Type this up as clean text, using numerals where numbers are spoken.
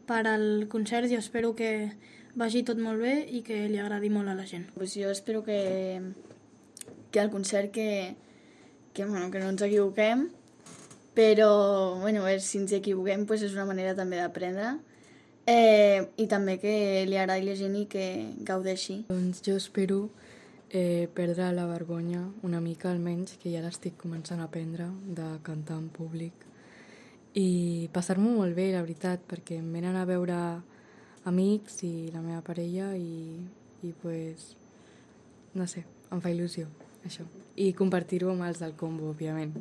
per al concert i espero que vagi tot molt bé i que li agradi molt a la gent. Pues jo espero que al concert que no ens equivoquem, però bueno, si ens equivoquem pues és una manera també d'aprendre i també que li agradi la gent i que gaudeixi. Doncs jo espero perdre la vergonya una mica almenys, que ja l'estic començant a aprendre, de cantar en públic i passar-m'ho molt bé, la veritat, perquè em venen a veure amics i la meva parella i pues, no sé, em fa il·lusió això, i compartir-ho amb els del combo, òbviament.